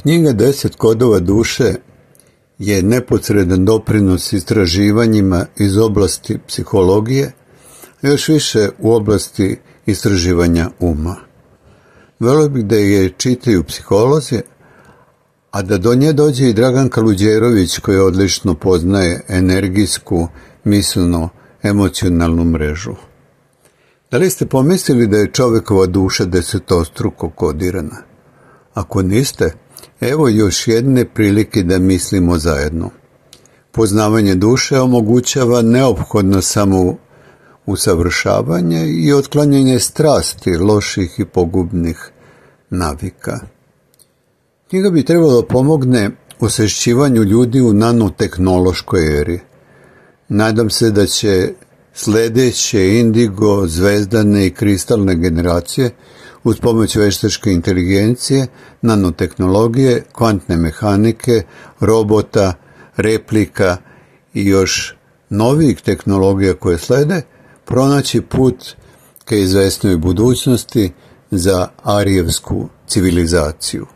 Knjiga 10 kodova duše je neposredan doprinos istraživanjima iz oblasti psihologije, a još više u oblasti istraživanja uma. Volio bih da je čitaju psiholozi, a da do nje dođe i Dragan Kaluđerović, koji odlično poznaje energijsku, mislno-emocionalnu mrežu. Da li ste pomislili da je čovekova duša desetostruko kodirana? Ako niste, evo još jedne prilike da mislimo zajedno. Poznavanje duše omogućava neophodno samo usavršavanje i otklanjanje strasti, loših i pogubnih navika. Knjiga bi trebalo pomogne osvešćivanju ljudi u nanotehnološkoj eri. Nadam se da će sledeće indigo, zvezdane i kristalne generacije uz pomoć veštačke inteligencije, nanotehnologije, kvantne mehanike, robota, replika i još novih tehnologija koje slede, pronaći put ka izvesnoj budućnosti za arijevsku civilizaciju.